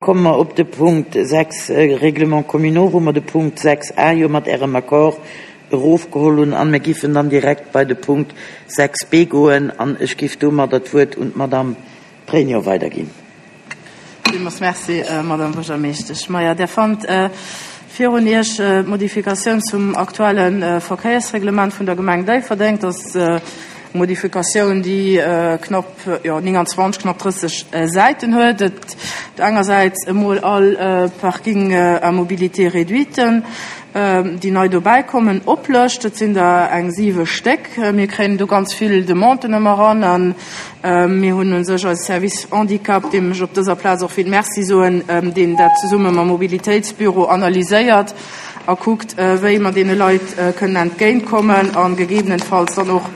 Komme mer op de Punkt 6, Règlements communaux, wou mer de Punkt 6 a jo mat Ärem Accord erofgeholl hunn. An mir giffen dann direkt bei de Punkt 6 b goen. An ech giff domadder d'Wuert un d'Madame Pregno weiderginn. Villmools Merci, Madame Buergermeeschtesch. Maja, Der fannt virun Iech d'Modifikatioun zum aktuelle Verkéiersreglement vun der Gemeng Déifferdeng. Dat ass eng Modifikatioun, déi knapp jo, 29, knapp 30 Säiten huet. Et engersäits emol all Parking à mobilité réduite, déi nei dobäi kommen, oplëscht. Et sinn der eng siwe Stéck. Mir kréien do ganz vill Demanden ëmmer eran a mir hunn u sech eise Service Handicap, deem ech op dëser Plaz och vill Merci soen, deen dat zesumme mam Mobilitéitsbüro analyséiert a kuckt, wéi mer deene Leit kënnen entgéintkommen a gegebenenfalls dann och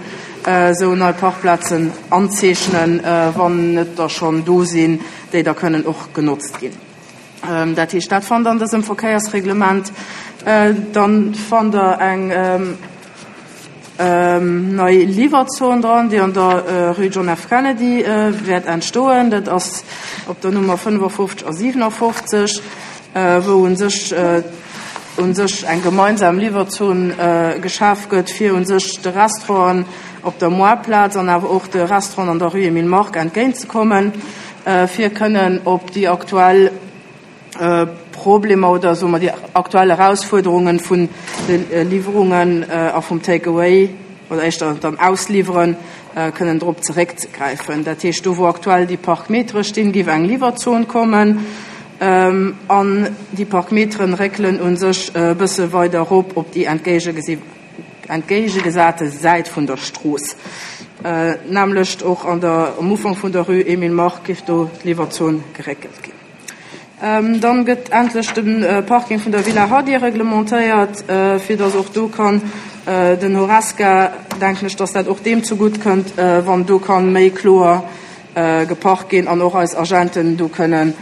esou nei Parkplazen anzeechnen, wann net der schonn do sinn, déi da kënnen och genotzt ginn. Dat heescht, dat fannt Der an dësem Verkéiersreglement. Dann fannt Der eng nei Liwwerzon dran, déi an der Rue John F. Kennedy wäert entstoen. Dat ass op der Nummer 55 a 57, wou u sech u sech eng gemeinsam Liwwerzon geschaf gëtt, fir u sech de Restauranten op der Moartplaz an awer och de Restauranten an der Rue Emile Mark entgéintzekommen, fir kënnen op déi aktuell Problemer oder soe mer déi aktuell Erausfuerderungen vun de Liwwerungen a vum Take-away oder éischter dann Ausliwweren kënnen drop zeréckzegräifen. Dat heescht, do wou aktuell déi Parkmetere stinn, géif eng Liwwerzon kommen an déi Parkmeteren réckelen u sech e bësse weider erop op déi entgéigegesate Säit vun der Strooss. D'nämmlecht och an der, um Ufank vun der Rue Emile Mark géif do d'Liwwerzon geréckelt ginn. Dann gëtt endlech de Parking vun der Villa Hardy reglementéiert, fir dass och do kann den Horesca, denken ech, dass dat och deem zegutt kënnt, wann do kann méi kloer geparkt ginn an och eis Agenten do kënnen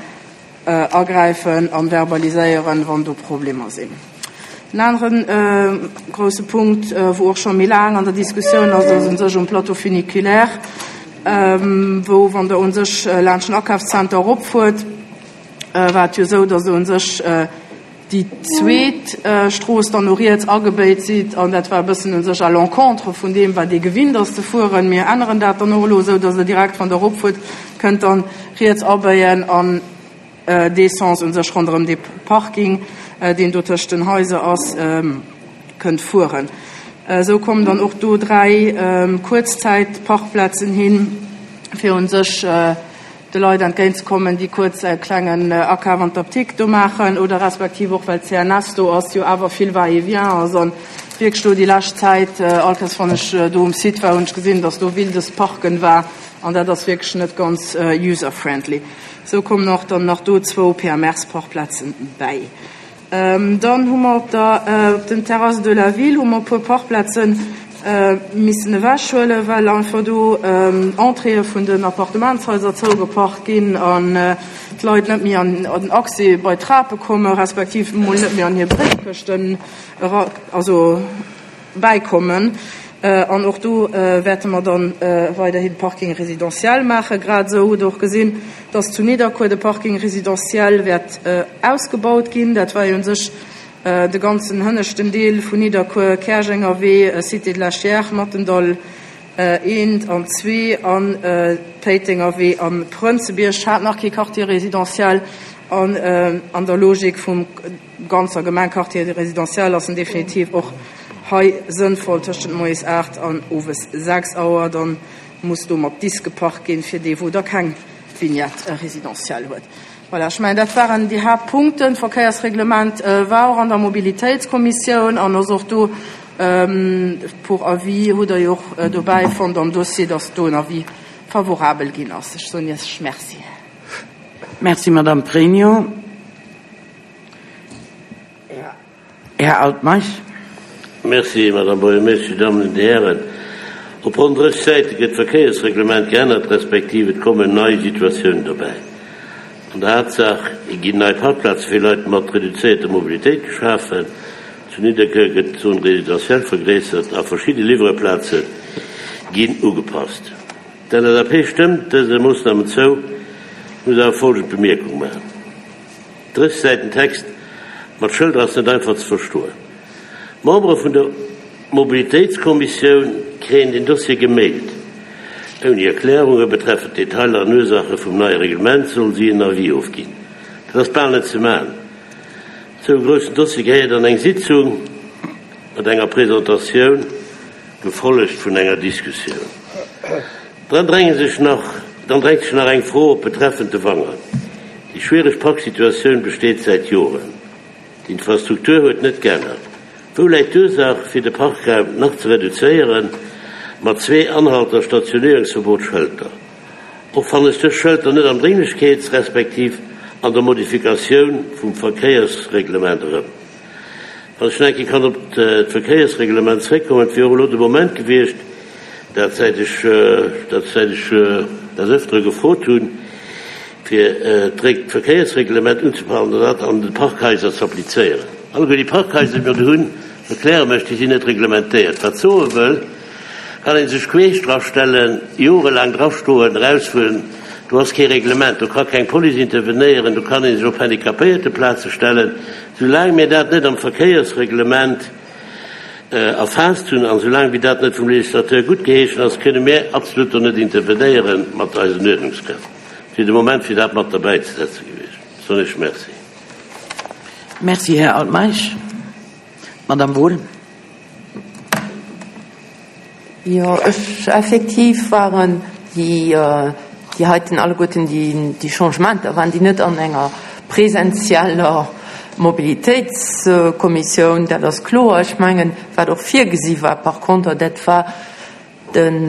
agräifen an verbaliséieren, wann do Problemer sinn. En anere grousse Punkt, wou och scho méi laang an der Diskussioun ass, ass u sech um Plateau funiculaire, wou, wann Der u sech laanscht den Akafszenter eropfuert, war et jo esou, datt Der u sech déi zweet Strooss dann no riets agebéit sidd, an dat war e bëssen u sech à l'encontre vun deem, wat ee gewinnt ass ze fueren. Mir änneren dat dann och elo esou, datt Der direkt, wann Der eropfuert, kënnt dann riets abéien an dee Sens u sech ronderëm dee Parking, deen do tëscht den Haiser ass, kënnt fueren. Esou kommen dann och do 3 Kuerzzäitparkplazen hin, fir u sech de Leit entgéintzekommen, déi kuerz e klengen Akaf an d'Apdikt do maachen oder respektiv och, well d'CNS do ass, jo awer vill Va-et-vient ass an wierklech do déi lescht Zäit, all Kéiers wann ech do um Site war, hunn ech gesinn, dass do wildes Parken war an dat ass wierklech net ganz user-friendly. Sou kommen och dann nach do zwou PMRs-Parkplazen bäi. Dann hu mer op der, op den Terrasses de la Ville hu mer e puer Parkplazen missen ewechhuelen, well einfach do Entréeë vun den Appartementshaiser zougeparkt ginn an d'Leit net méi an den Accès bei d'Trape kommen, respektiv emol net méi an hir Bréifkëschten era, also bäikommen. An och do wäerte mer dann weiderhi Parking résidentiel maachen. Grad esou hutt Der och gesinn, dass zu Nidderkuer de Parking résidentiel wäert ausgebaut ginn. Dat war jo u sech de ganzen hënneschten Deel vun Nidderkuer, Käerjenger Wee, Cité de la Chiers, Mattendall eent an zwee an Péitenger Wee a Prënzebierg hat nach kee Quartier résidentiel. An an der Logik vum ganzer Gemeng Quartier résidentiel ass en definitiv och hei sënnvoll tëschent moies 8 an owes 6 Auer. Dann muss do mat Disk geparkt ginn, fir dee wou da keng Vignette résidentielle huet. Voilà, ech mengen dat waren déi Haaptpunkten. D'Verkéiersreglement war och an der Mobilitéitskommissioun an ass och do pour avis, hutt Der jo och dobäi fonnt am Dossier, dass do en Avis favorabel ginn ass. Ech soen Iech Merci. Merci, Madame Pregno. Här Altmeisch. Merci, Madame Buergermeeschtesch, Dir Dammen an Dir Hären. Op ronn 30 Säite gëtt d'Verkéiersreglement geännert, respektiv et kommen nei Situatiounen dobäi. An der Haaptsaach ginn nei Parkplaze fir Leit mat reduzéierter Mobilitéit geschafen, zu Nidderkuer gëtt d'Zone résidentielle vergréissert a verschidde Liwwereplaze ginn ugepasst. D'LSAP stëmmt dëse Moossnamen zou, muss awer folgend Bemierkung maachen. 30 Säiten Text mat Schëlder ass net einfach ze verstoen. D'Membere vun der Mobilitéitskommissioun kréien den Dossier gemailt. Ouni Erklärunge betreffend Detailer an Ursaache vum neie Reglement solle si en Avis ofginn. Dat ass bal net ze maachen. Esou e groussen Dossier gehéiert an eng Sitzung mat enger Presentatioun, gefollegt vun enger Diskussioun. Dann dränge sech nach, dann drängt sech nach eng Fro op betreffend de Wanger. Déi schwiereg Parksituatioun besteet säit Joren. D'Infrastruktur huet net geännert. Wou läit d'Ursaach, fir de Parkraum nach ze reduzéieren, mat zwee Anhalter Stationéierungsverbotsschëlter? Och fannen ech dës Schëlter net am Drénglechkeets respektiv an der Modifikatioun vum Verkéiersreglement erëm. Wann ech nach eng Kéier kann op d'Verkéiersreglement zréckkommen, et wier och elo de Moment gewiescht, dat säit ech dat säit ech des Ëftere gefrot hunn, fir d'Verkéiersreglement unzepassen an dat an de Parkhaiser ze applizéieren. Alleguer déi Parkhaiser, déi mer do hunn, erkläre mech, déi sinn net reglementéiert. Wat soe wëll, kann ee sech queesch drastellen, jorelaang drastoen, erausfueren, do ass kee Reglement, do ka keng Police intervenéieren, do kann ee sech op Handicapéierteplaze stellen. Soulaang mir dat net am Verkéiersreglement erfaasst hunn an soulaang wéi dat net vum Législateur guttgeheeschen ass, kënne mir absolut do net intervenéiere mat eisen Uerdnungskräften. Et wier de Moment fir dat mat derbäizesetze gewiescht. Soen ech Merci. Merci, Här Altmeisch. Madame Wohl. Jo, ech, effektiv waren déi, déi heiten alleguerten déi, déi Changementer, waren déi net an enger presenzieller Mobilitéitskommissioun, dat ass kloer. Ech mengen, wat och virgesi war par conter, dat war den,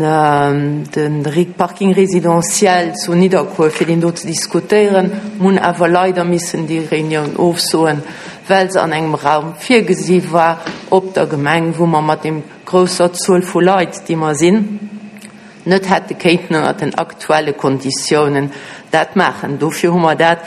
de Parking résidentiel zu Nidderkuer, fir deen do ze diskutéieren. Mir hunn awer leider missen déi Reunioun ofsoen, well se an engem Raum virgesi war op der Gemeng, wou mer mat deem grousser Zuel vu Leit, déi mer sinn, net hätte kéinten ënnert den aktuelle Konditiounen dat maachen. Dofir hu mer dat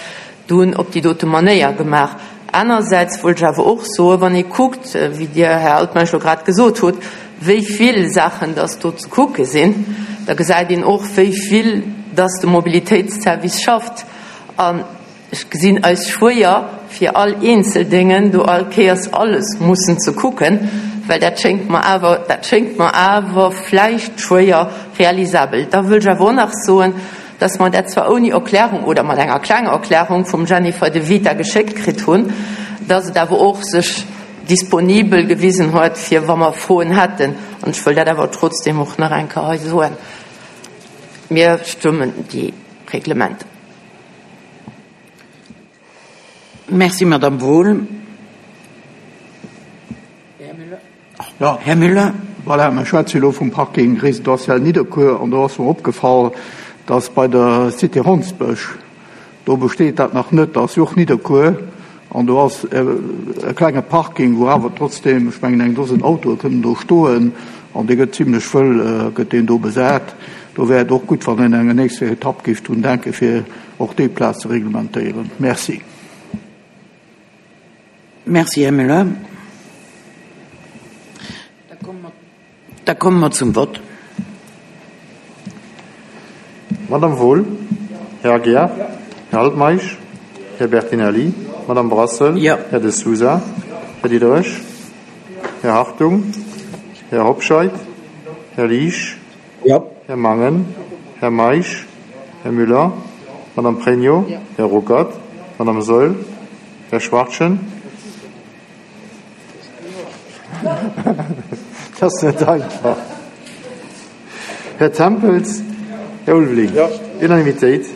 dunn op déi dote Manéier gemaach. Anersäits wollt ech awer och soen, wann ee kuckt, wéi Dir, Här Altmeisch, elo grad gesot hutt, wéi vill Saachen dass do ze kucke sinn, da gesäit een och, wéi vill dass de Mobilitéitsservice schafft. An Ech gesinn eis schwéier, fir all eenzel Déngen do all Kéiers alles mussen ze kucken, well dat schéngt mer awer, dat schéngt mer awer vläicht schwéier realisabel. Da wëll ech awer och nach soen, dass mer dat zwar ouni Erklärung oder mat enger klenger Erklärung vum Jennifer De Vita geschéckt kritt hunn, dass et awer och sech disponibel gewisen huet, fir wa mer Froen hätten. An ech wëll dat awer trotzdem och nach eng Kéier hei soen, Mir stëmmen déi Reglementer. Merci, Madame Wohl. Ja. Här Müller. Voilà, mer schwätze jo elo vum Parking résidentiel Nidderkuer an do ass mer opgefall, dass bei der Cité Hondsbësch, do besteet dat nach net, da ass jo och Nidderkuer an do ass e klenge Parking, wou awer trotzdem, ech mengen eng Dosen Autoe kënnen do stoen an dee gëtt zimlech wëll, gëtt deen do besat. Do wär et och gutt, wann een an enger nächster Etapp géif drun denken, fir och déi Plaz ze reglementéieren. Merci. Merci, Här Müller. Da komme mer zum Vott. Madame Wohl, Här Aguiar, Här Altmeisch, Här Bertinelli, Madame Brassel, Här De Sousa, Här Diderich, Här Hartung, Här Hobscheit, Här Liesch, Här Mangen, Här Meisch, Här Müller, Madame Pregno, Här Ruckert, Madame Saeul, Här Schwachtgen. Dat ass net einfach. Här Tempels, Här Ulveling. Unanimitéit.